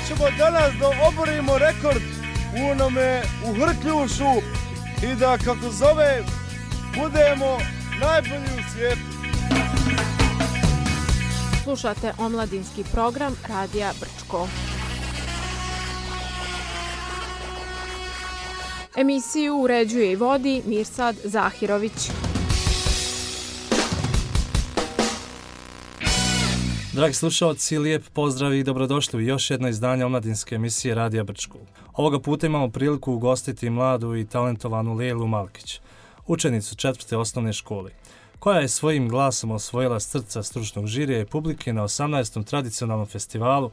ćemo danas da oborimo rekord u onome u Hrkljušu i da, kako zove, budemo najbolji u svijetu. Slušate omladinski program Radija Brčko. Emisiju uređuje i vodi Mirsad Zahirović. Dragi slušalci, lijep pozdrav i dobrodošli u još jedno izdanje omladinske emisije Radija Brčko. Ovoga puta imamo priliku ugostiti mladu i talentovanu Lejlu Malkić, učenicu 4. osnovne škole, koja je svojim glasom osvojila srca stručnog žirija i publike na 18. tradicionalnom festivalu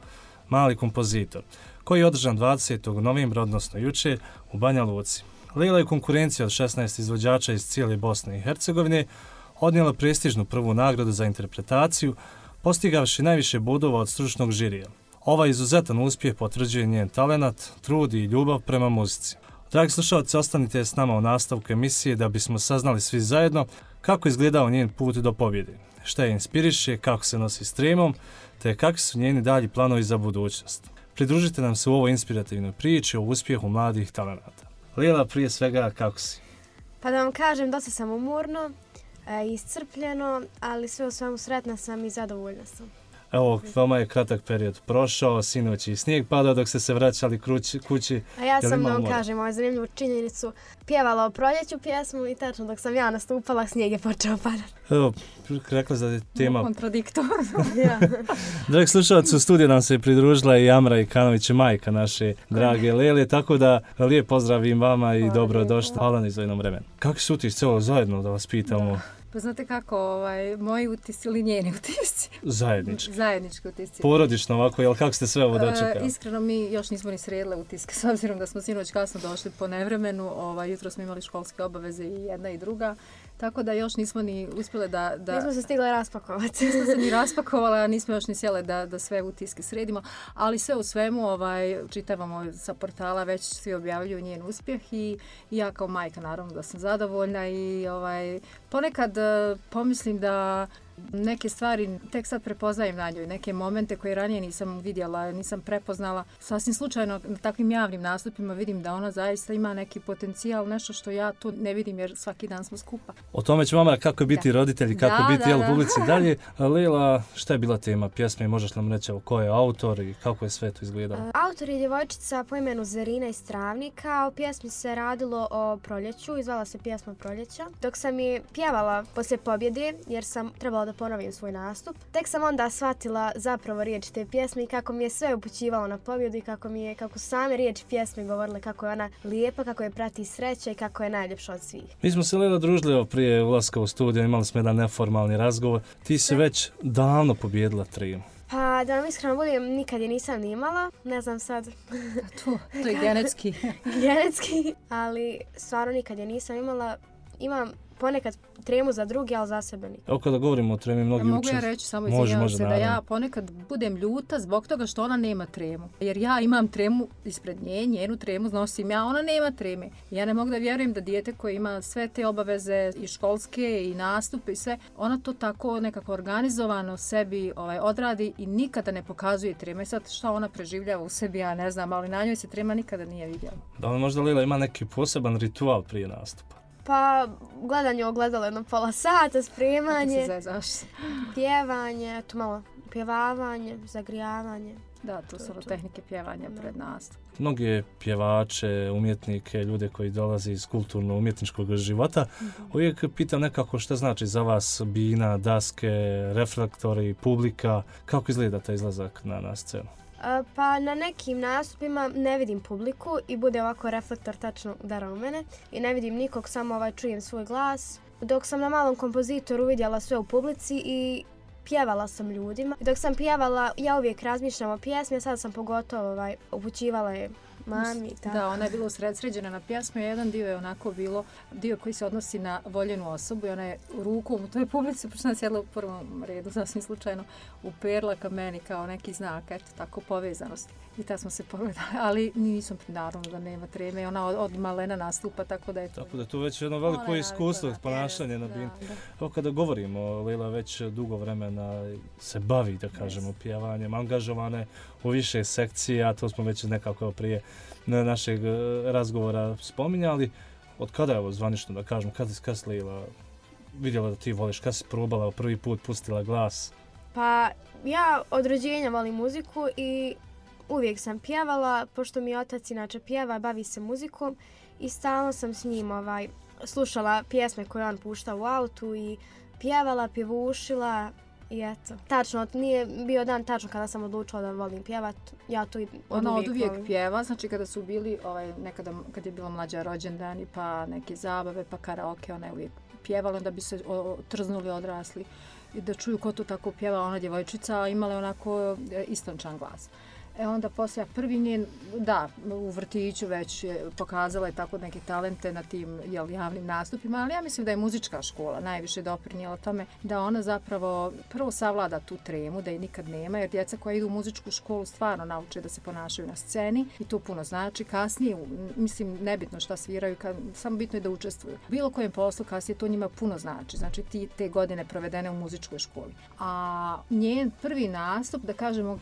Mali kompozitor, koji je održan 20. novembra, odnosno jučer, u Banja Luci. Lejla je konkurencija od 16 izvođača iz cijele Bosne i Hercegovine odnijela prestižnu prvu nagradu za interpretaciju, postigavši najviše bodova od stručnog žirija. Ovaj izuzetan uspjeh potvrđuje njen talenat, trud i ljubav prema muzici. Dragi slušalci, ostanite s nama u nastavku emisije da bismo saznali svi zajedno kako izgledao njen put do pobjede, šta je inspiriše, kako se nosi s tremom, te kakvi su njeni dalji planovi za budućnost. Pridružite nam se u ovoj inspirativnoj priči o uspjehu mladih talenata. Lejla, prije svega, kako si? Pa da vam kažem, dosta sam umorno, iscrpljeno, ali sve u svemu sretna sam i zadovoljna sam. Evo, vama je kratak period prošao, sinoć i snijeg padao dok ste se vraćali kući. A ja sam, da vam kažem, ovaj zanimljivu činjenicu, pjevala o proljeću pjesmu i tačno dok sam ja nastupala, snijeg je počeo padati. Evo, rekla da je tema... Kontradiktorno. Ja. Dragi slušalci, u studiju nam se pridružila i Amra Ikanović, majka naše drage Lele, tako da lijep pozdrav im vama i dobrodošli. Hvala na izvojenom vremenu. Kako su utisci ovo zajedno da vas pitamo? Da. Pa znate kako, moji utisci ili njeni utisci? Zajednički utisci. Porodično ovako, jel kako ste sve ovo dočekali? Iskreno, mi još nismo ni sredile utiske, s obzirom da smo sinoć kasno došli po nevremenu, jutro smo imali školske obaveze i jedna i druga, tako da još nismo ni uspjele da... Nismo se stigle raspakovati. Nismo se ni raspakovala, a nismo još ni sjele da sve utiske sredimo, ali sve u svemu čitavamo sa portala, već svi objavljuju njen uspjeh i ja kao majka naravno da sam zadovoljna i ponekad pomislim da neke stvari tek sad prepoznajem na njoj, neke momente koje ranije nisam vidjela, nisam prepoznala. Sasvim slučajno na takvim javnim nastupima vidim da ona zaista ima neki potencijal, nešto što ja tu ne vidim jer svaki dan smo skupa. O tome ću vama kako je biti roditelji, kako je biti u publici dalje. Lejla, šta je bila tema pjesme? Možeš nam reći ko je autor i kako je sve to izgledalo? Autor je djevojčica po imenu Zarina iz Travnika. U pjesmi se radilo o proljeću, izvala se pjesma Proljeća. Dok sam je pjevala poslije pobjede, jer sam trebala da ponovim svoj nastup, tek sam onda shvatila zapravo riječi te pjesme i kako mi je sve upućivalo na pobjedu i kako same riječi pjesme govorile kako je ona lijepa, kako je prati sreća i kako je najljepša od svih. Mi smo se Lejla družili prije ulaska u studio, imali smo jedan neformalni razgovor. Ti si već davno pobjedila tremu. Pa da vam iskreno budem, nikad je nisam ni imala, ne znam sad. To je genetski. Genetski, ali stvarno nikad je nisam imala. Imam ponekad tremu za drugi, ali za sebe nikad. Evo kada govorimo o tremi, mnogi mogu ja reći samo izvinjavam se da ja ponekad budem ljuta zbog toga što ona nema tremu. Jer ja imam tremu ispred nje, njenu tremu nosim ja, ona nema treme. Ja ne mogu da vjerujem da dijete koje ima sve te obaveze i školske i nastupe i sve, ona to tako nekako organizovano sebi odradi i nikada ne pokazuje treme. I sad šta ona preživljava u sebi, ja ne znam, ali na njoj se trema nikada nije vidjela. Da li možda Lejla ima neki poseban ritual prije nastupa? Pa gledanje ogledalo jedno pola sata, spremanje, pjevanje, to malo pjevavanje, zagrijavanje. Da, to su tehnike pjevanja pred nastup. Mnogi pjevače, umjetnike, ljude koji dolaze iz kulturno-umjetničkog života, uvijek pitam nekako šta znači za vas bina, daske, reflektori, publika, kako izgleda taj izlazak na scenu? Pa na nekim nastupima ne vidim publiku i bude ovako reflektor tačno udara u mene i ne vidim nikog, samo čujem svoj glas. Dok sam na Malom kompozitoru vidjela sve u publici i pjevala sam ljudima. Dok sam pjevala, ja uvijek razmišljam o pjesmi, a sad sam pogotovo upućivala je mami i tako. Da, ona je bila usredsređena na pjesmu, a jedan dio je onako bilo, dio koji se odnosi na voljenu osobu i ona je rukom u toj publici, pošto ona sjedla u prvom redu, sasvim slučajno, uperla ka meni kao neki znak, eto, tako povezanosti. I tad smo se pogledali, ali nisam naravno da nema treme, ona od malena nastupa, tako da je to. Tako da je to već jedno veliko iskustvo, ponašanje na bini. Evo kada govorimo, Lila već dugo vremena se bavi, da kažemo, pjevanjem, angažovane u više sekcija, to smo već nekako prije našeg razgovora spominjali. Od kada je ovo zvanično, da kažemo, kada si Lila vidjela da ti voliš, kada si probala prvi put, pustila glas? Pa ja od rođenja volim muziku i uvijek sam pjevala, pošto mi otac inače pjeva, bavi se muzikom i stalno sam s njim slušala pjesme koje on pušta u autu i pjevala, pjevušila i eto. Tačno, nije bio dan tačno kada sam odlučila da volim pjevat, ja to i ona od uvijek pjeva, znači kada su bili nekada kad je bila mlađa rođendani pa neke zabave pa karaoke, ona je uvijek pjevala, onda bi se trznuli odrasli i da čuju ko to tako pjeva, ona djevojčica imala je onako istončan glas. Onda poslije prvi njen, da, u vrtiću već je pokazala je tako neke talente na tim javnim nastupima, ali ja mislim da je muzička škola najviše doprinijela tome da ona zapravo prvo savlada tu tremu, da je nikad nema, jer djeca koja idu u muzičku školu stvarno nauče da se ponašaju na sceni i to puno znači. Kasnije, mislim, nebitno šta sviraju, samo bitno je da učestvuju. Bilo kojem poslu kasnije to njima puno znači, znači te godine provedene u muzičkoj školi. A njen prvi nastup, da kažemo,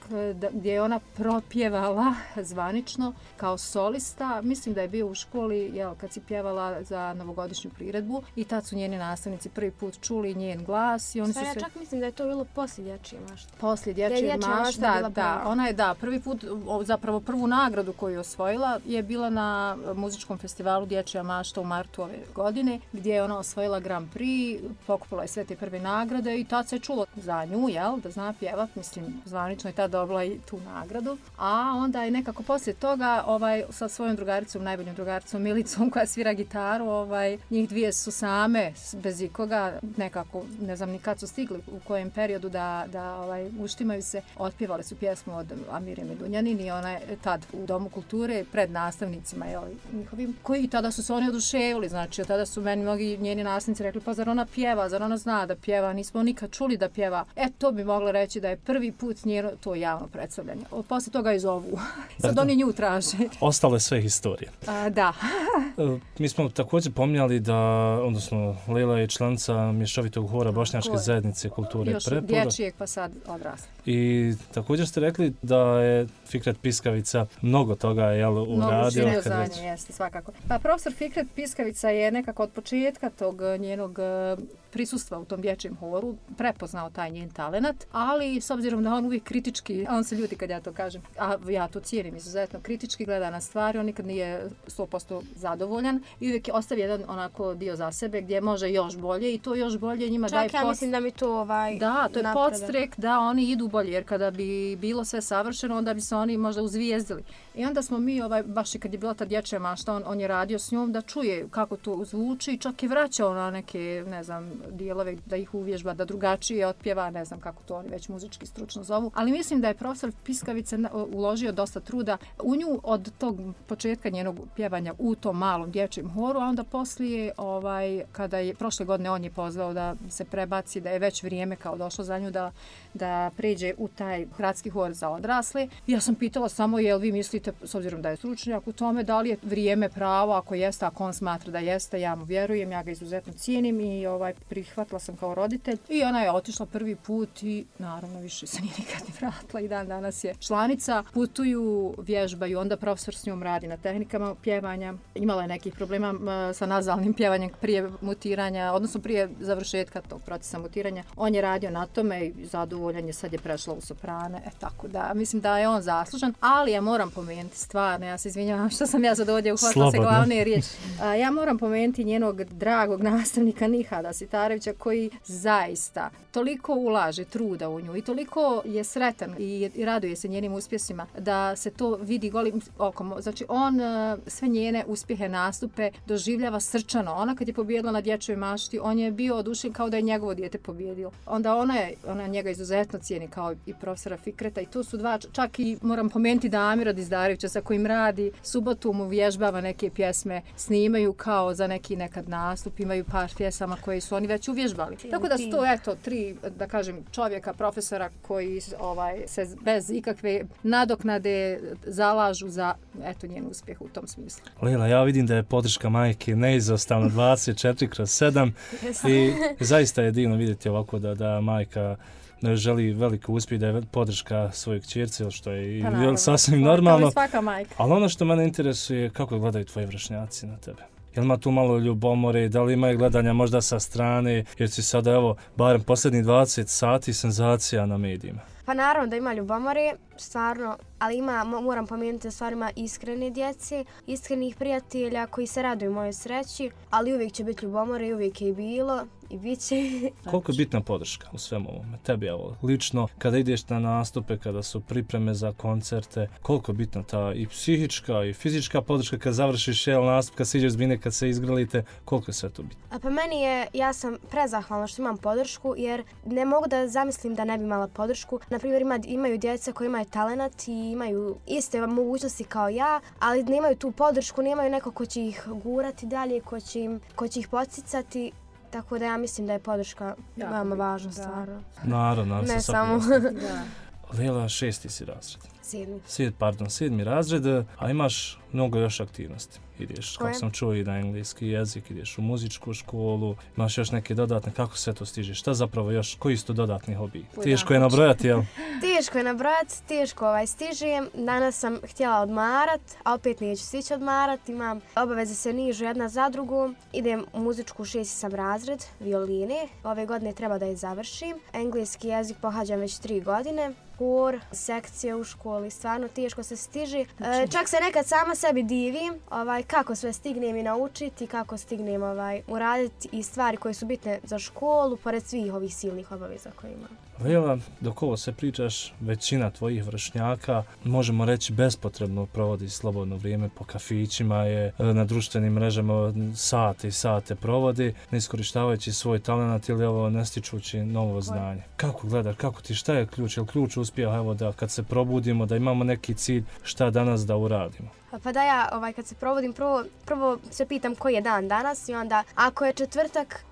gdje je ona propjevala zvanično kao solista. Mislim da je bio u školi kad si pjevala za novogodišnju priredbu i tad su njeni nastavnici prvi put čuli njen glas. I oni ja čak mislim da je to bilo poslije Dječje mašte. Poslije Dječje mašte, da. Ona je prvi put, zapravo prvu nagradu koju je osvojila je bila na muzičkom festivalu Dječja mašta u martu ove godine, gdje je ona osvojila Grand Prix, pokupila je sve te prve nagrade i tad se čulo za nju, da zna pjevat, mislim, zvanično je tad dobila i tu nagradu. A onda je nekako poslije toga sa svojom drugaricom, najboljom drugaricom Milicom koja svira gitaru, njih dvije su same, bez ikoga, nekako, ne znam ni kad su stigli, u kojem periodu da uštimaju se, otpjevali su pjesmu od Amire Medunjanin i ona je tad u Domu kulture pred nastavnicima njihovim, koji tada su se oni oduševili, znači tada su meni mnogi njeni nastavnici rekli, pa zar ona pjeva, zar ona zna da pjeva, nismo nikad čuli da pjeva. To bi mogla reći da je prvi put njeno to javno predstavljanje. Poslije toga i zovu. Sad oni nju traže. Ostale sve historije. Da. Mi smo također pominjali da, odnosno Lila je članica mješovitog hora Bošnjačke zajednice kulture i prepora. Još dječjeg pa sad odrasli. I također ste rekli da je Fikret Piskavica mnogo toga uradio. Mnogo za nje, jeste, svakako. Pa profesor Fikret Piskavica je nekako od početka tog njenog prisustva u tom dječjem horu prepoznao taj njen talenat, ali s obzirom da on uvijek kritički, on se ljuti kad ja to kažem, a ja to cijenim izuzetno, kritički gleda na stvari, on nikad nije 100% zadovoljan i uvijek ostavi jedan onako dio za sebe gdje može još bolje i to još bolje njima daje ja mislim da mi to da, to je podstrek da oni idu bolje, jer kada bi bilo sve savršeno, onda bi se oni možda uzvijezdili. I onda smo mi, baš i kad je bila ta Dječja mašta, on je radio s njom da čuje kako to zvuči, čak je vraćao na neke, ne znam, dijelove da ih uvježba, da drugačije otpjeva, ne znam kako to oni već muzički stručno zovu, ali mislim da je profesor Piskavica uložio dosta truda u nju od tog početka njenog pjevanja u tom malom dječjem horu, a onda poslije, kada je prošle godine on je pozvao da se prebaci, da je već vrijeme kao došlo za nju da pređe u taj gradski hor za odrasle. Ja sam pitala samo, jel vi mislite, s obzirom da je stručnjak u tome, da li je vrijeme pravo, ako jeste, ako on smatra da jeste, ja mu vjerujem, ja ga izuzetno cijenim i prihvatila sam kao roditelj i ona je otišla prvi put i naravno više se nije nikad ni vratila i dan danas je članica. Putuju, vježbaju, onda profesor s njom radi na tehnikama pjevanja. Imala je nekih problema sa nazalnim pjevanjem prije mutiranja, odnosno prije završetka tog procesa mutiranja. On je radio na tome i zadovoljan je, sad je prešla u soprane, tako da mislim da je on zaslužan, ali ja moram pomenuti stvarno, ja se izvinjavam što sam ja sad ovdje uhvatila se glavne riječi. Ja moram pomenuti njenog dragog nastavnika Nihada Sitarevića koji zaista toliko ulaže truda u nju i toliko je sretan i raduje se njenim njenim uspjesima, da se to vidi golim okom. Znači on sve njene uspjehe, nastupe doživljava srčano. Ona kad je pobijedila na Dječjoj mašti, on je bio oduševljen kao da je njegovo dijete pobijedilo. Onda ona njega izuzetno cijeni kao i profesora Fikreta i tu su dva, čak i moram pomenuti Damira Dizdarevića sa kojim radi, subotu mu vježbava neke pjesme, snimaju kao za neki nekad nastup, imaju par pjesama koje su oni već uvježbali. Tako da su to tri, da kažem, čovjeka, profesora koji se bez ikakve nadoknade zalažu za njen uspjeh u tom smislu. Lejla, ja vidim da je podrška majke neizostavno 24/7 i zaista je divno vidjeti ovako da majka želi veliki uspjeh, da je podrška svojoj kćerci, što je sasvim normalno. Kao i svaka majka. Ali ono što mene interesuje, kako gledaju tvoji vršnjaci na tebe? Jel ima tu malo ljubomore, da li ima gledanja možda sa strane, jer si sada, evo, barem posljednjih 20 sati senzacija na medijima? Pa naravno da ima ljubomore, stvarno, ali moram pomenuti da stvarno ima iskrene djece, iskrenih prijatelja koji se raduju mojoj sreći, ali uvijek će biti ljubomore i uvijek je i bilo i bit će. Koliko je bitna podrška u svemu ovome? Tebi, evo, lično, kada ideš na nastupe, kada su pripreme za koncerte, koliko je bitna ta i psihička i fizička podrška kad završiš nastup, kad se iđeš s bine, kad se izgrlite, koliko je sve to bitno? A pa ja sam prezahvalna što imam podršku, jer ne mogu da zamislim da ne bi imala podršku. Naprimjer, imaju djeca koji imaju talenat i imaju iste mogućnosti kao ja, ali nemaju tu podršku, nemaju neko ko će ih gurati dalje, ko će ih podsticati. Tako da ja mislim da je podrška veoma važna stvar. Naravno. Ne samo. Lejla, 6. si razred. 7. razred, a imaš mnogo još aktivnosti. Ideš, kako sam čuo, i na engleski jezik, ideš u muzičku školu, imaš još neke dodatne, kako sve to stižeš? Šta zapravo još, koji su to dodatni hobiji? Teško je nabrojati, jel? Teško je nabrojati, teško stižem. Danas sam htjela odmarat, a opet neću stići odmarat. Imam obaveze se nižu jedna za drugu. Idem u muzičku 6. sam razred, violine. Ove godine treba da je završim. Engleski jezik pohađam već 3 godine. Hor, sekcije u školi, stvarno teško se stiže. Čak se nekad sama sebi divim kako sve stignem i naučiti, kako stignem uraditi i stvari koje su bitne za školu, pored svih ovih silnih obaveza koje imam. Lejla, dok ovo se pričaš, većina tvojih vršnjaka, možemo reći, bespotrebno provodi slobodno vrijeme po kafićima, je na društvenim mrežama sate i sate provodi, ne iskorištavajući svoj talent ili ne stičući novo znanje. Kako gledaš, šta je ključ? Je li ključ uspjeha, evo, da kad se probudimo, da imamo neki cilj, šta danas da uradimo? Pa da ja kad se probudim, prvo se pitam koji je dan danas i onda ako je četvrtak,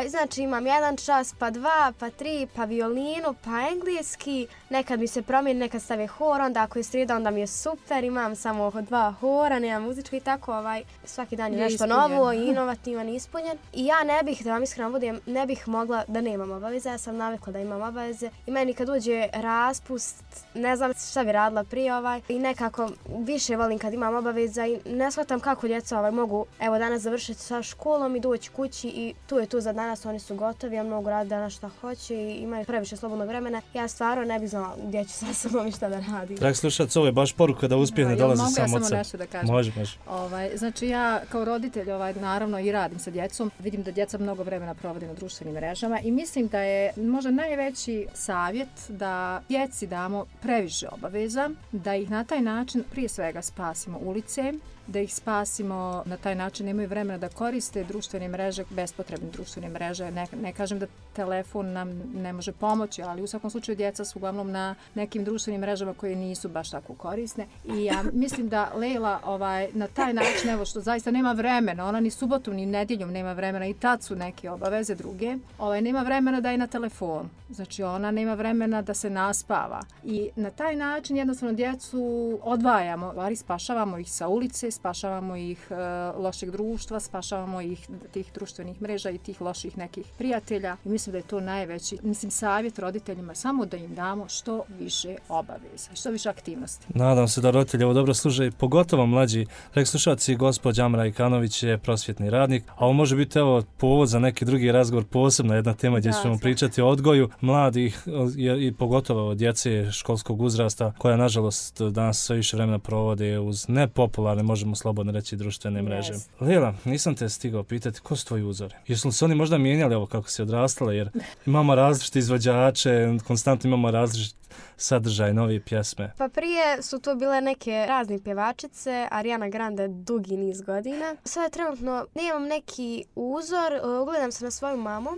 znači imam 1 čas, pa 2, pa 3, pa violinu, pa engleski, nekad mi se promijeni, nekad stave hor, onda ako je srijeda, onda mi je super, imam samo 2 hora, nemam muzičku i tako, svaki dan je nešto novo i inovativan i ispunjen. I ja ne bih, da vam iskreno budem, ne bih mogla da nemam obaveze, ja sam navikla da imam obaveze i meni kad uđe raspust, ne znam šta bi radila prije i nekako više volim kad imam obaveza i ne shvatam kako djeca mogu, evo, danas završiti sa školom i doći kući i tu je tu za danas, oni su gotovi, ja mogu raditi danas šta hoće i imaju previše slobodnog vremena. Ja stvarno ne bih znala gdje ću sa sobom i šta da radim. Dragi slušac, ovo je baš poruka da uspjeh ne dolazi samo od sebe. Mogu ja samo nešto da kažem? Može. Znači ja kao roditelj naravno i radim sa djecom. Vidim da djeca mnogo vremena provode na društvenim mrežama i mislim da je možda najveći savjet da djeci damo previše obaveza, da ih na taj način prije svega spasimo ulice, da ih spasimo na taj način, nemaju vremena da koriste društvene mreže, bespotrebne društvene mreže. Ne kažem da telefon nam ne može pomoći, ali u svakom slučaju djeca su uglavnom na nekim društvenim mrežama koje nisu baš tako korisne. I ja mislim da Lejla na taj način, evo što zaista nema vremena, ona ni subotom ni nedjeljom nema vremena i tad su neke obaveze druge, nema vremena da je na telefonu. Znači ona nema vremena da se naspava. I na taj način jednostavno djecu odvajamo, spašavamo ih sa ulice, spašavamo ih lošeg društva, spašavamo ih tih društvenih mreža i tih loših nekih prijatelja. I mislim da je to najveći, savjet roditeljima, samo da im damo što više obaveza, što više aktivnosti. Nadam se da roditelji ovo dobro slušaju, pogotovo mlađi. Rekli slušalci, gospođa Amra Ikanović je prosvjetni radnik, a ovo može biti povod za neki drugi razgovor, posebna jedna tema gdje ćemo pričati o odgoju mladih i pogotovo djece školskog uzrasta, koja nažalost danas sve više vremena provode uz nepopularne, možemo slobodno reći, društvene mreže. Lejla, nisam te stigao pitati ko su tvoji uzori? Jesu li se oni možda mijenjali ovo kako si odrastala, jer imamo različite izvođače, konstantno imamo različite sadržaj nove pjesme? Pa prije su to bile neke razne pjevačice, Ariana Grande dugi niz godina. Sada trenutno nemam neki uzor, ugledam se na svoju mamu.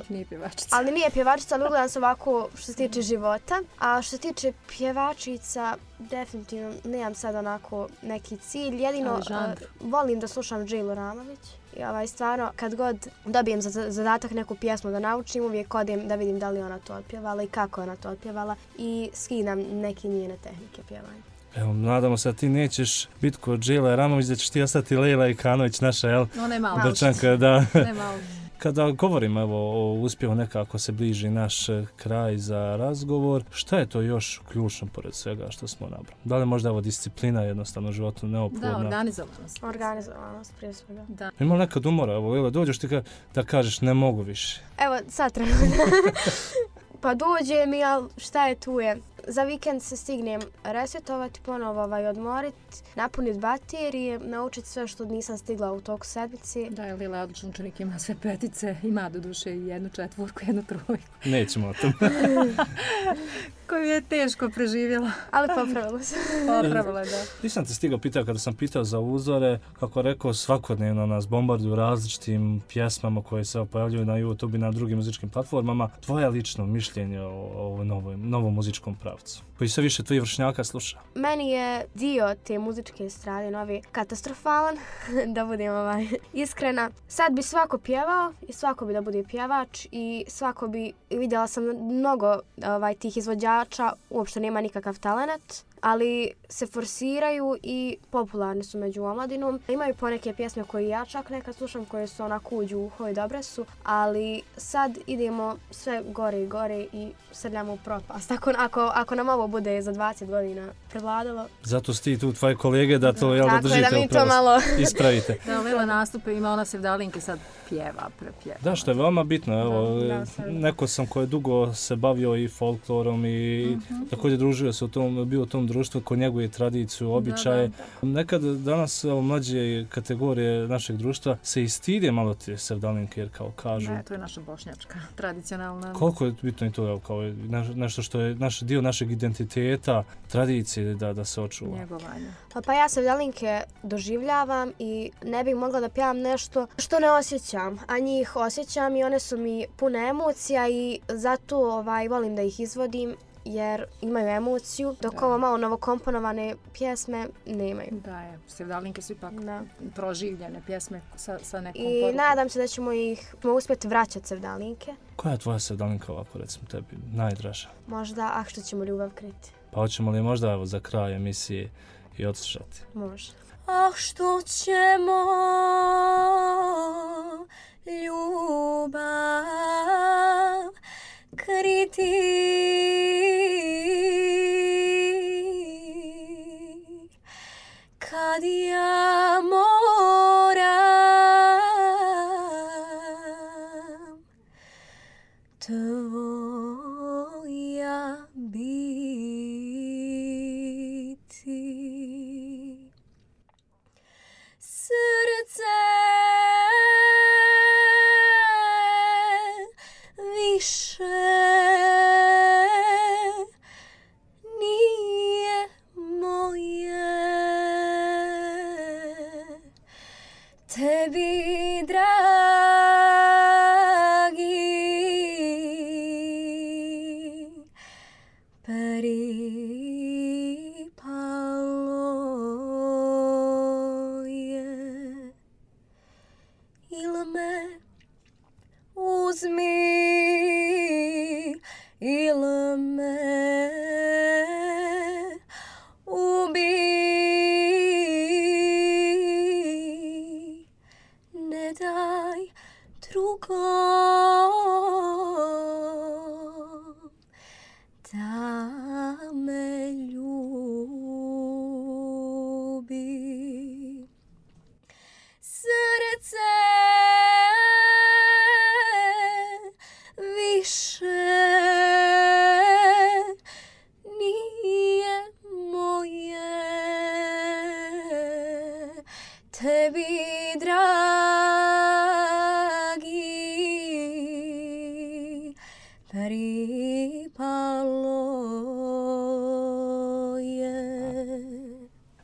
Nije pjevačica. Ali nije pjevačica, ali ugledam se ovako što se tiče života. A što se tiče pjevačica, definitivno nemam sad onako neki cilj. Jedino volim da slušam Džejlu Ramović. I stvarno, kad god dobijem zadatak neku pjesmu da naučim, uvijek odem da vidim da li ona to otpjevala i kako ona to otpjevala i skidam neke njene tehnike pjevanja. Evo, nadamo se da ti nećeš biti kod Džejla Ramović, da ćeš ti ostati Lejla Ikanović, naša, jel? No, ne malo. Dečanka, da. Ne malo. Kada govorimo o uspjehu, nekako se bliži naš kraj za razgovor, šta je to još ključno pored svega što smo nabrali? Da li možda disciplina jednostavno životu neophodna? Da, organizovanost. Organizovanost prije svega. Da. Ima li nekad umora? Evo, dođeš ti da kažeš ne mogu više. Evo, sad trenutno. Pa dođem i šta je tu je? Za vikend se stignem resetovati, ponovo odmoriti, napuniti baterije, naučiti sve što nisam stigla u toku sedmici. Da, Lila je odličan učenik, ima sve petice, ima do duše i 1 četvorku, 1 trojku. Nećemo o tom. Koju je teško preživjela. Ali popravila se. Popravila, da. Nisam te stigao pitao kada sam pitao za uzore, kako rekao, svakodnevno nas bombarduju različitim pjesmama koje se pojavljuju na YouTube i na drugim muzičkim platformama. Tvoje lično mišljenje o novom muzičkom pravcu, koji sve više tvojih vršnjaka sluša? Meni je dio te muzičke strane novi katastrofalan, da budem iskrena. Sad bi svako pjevao i svako bi da bude pjevač i svako bi, vidjela sam mnogo tih izvođača, uopšte nema nikakav talent, ali se forsiraju i popularni su među omladinom. Imaju poneke pjesme koje ja čak nekad slušam, koje su onako uđu u uho i dobre su, ali sad idemo sve gore i gore i srljamo u propast. Ako nam ovo bude za 20 godina prevladalo. Zato su ti tu tvoje kolege da to da držite da mi to malo ispravite. Da, Lila nastupe, ima ona sevdalinke, sad prepjeva. Da, što je veoma bitno. Evo, neko sam koji je dugo se bavio i folklorom i također družio se bio u tom društvu ko njeguje tradiciju, običaje. Nekad danas mlađe kategorije našeg društva se i stide malo te sevdalinke, jer kao kažu. Ne, to je naša bošnjačka, tradicionalna. Koliko je bitno i to, kao nešto što je dio našeg identiteta, tradicije da se očuva. Njegovanje. Pa ja sevdalinke doživljavam i ne bih mogla da pjevam nešto što ne osjećam, a njih osjećam i one su mi pune emocija i zato volim da ih izvodim jer imaju emociju, dok ovo malo novokomponovane pjesme nemaju. Da, je. Sevdalinke su ipak proživljene pjesme sa nekom I porukom. nadam se da ćemo uspjeti vraćati sevdalinke. Koja je tvoja sevdalinka ovako, recimo tebi, najdraža? Možda, što ćemo ljubav kriti. Pa hoćemo li možda za kraj emisije i odslušati? Može. Što ćemo ljubav kriti, kad ja moram tvoja biti. Srce više nije moje, tebi dragi pripalo je. Il me uzmi, il me ubi, ne daj drugom da me ljubi. Srce više nije moje, tebi dragi pripalo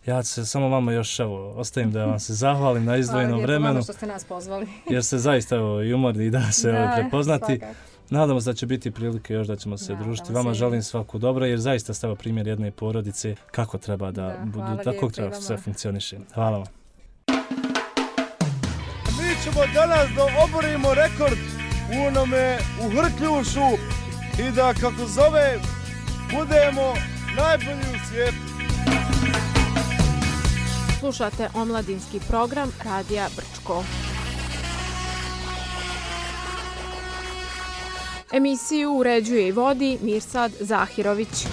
Ja se samo vama još ostavim da vam se zahvalim na izdvojenom vremenu. Hvala što ste nas pozvali. Jer ste zaista i umorni da se prepoznati. Svakako. Nadamo se da će biti prilike još da ćemo se družiti. Vama želim svako dobro jer zaista ste primjer jedne porodice kako treba da budu, tako treba sve funkcioniše. Hvala vam. Mi ćemo danas da oborimo rekord u Hrkljušu i da, kako zove, budemo najbolji u svijetu. Slušate omladinski program Radija Brčko. Emisiju uređuje i vodi Mirsad Zahirović.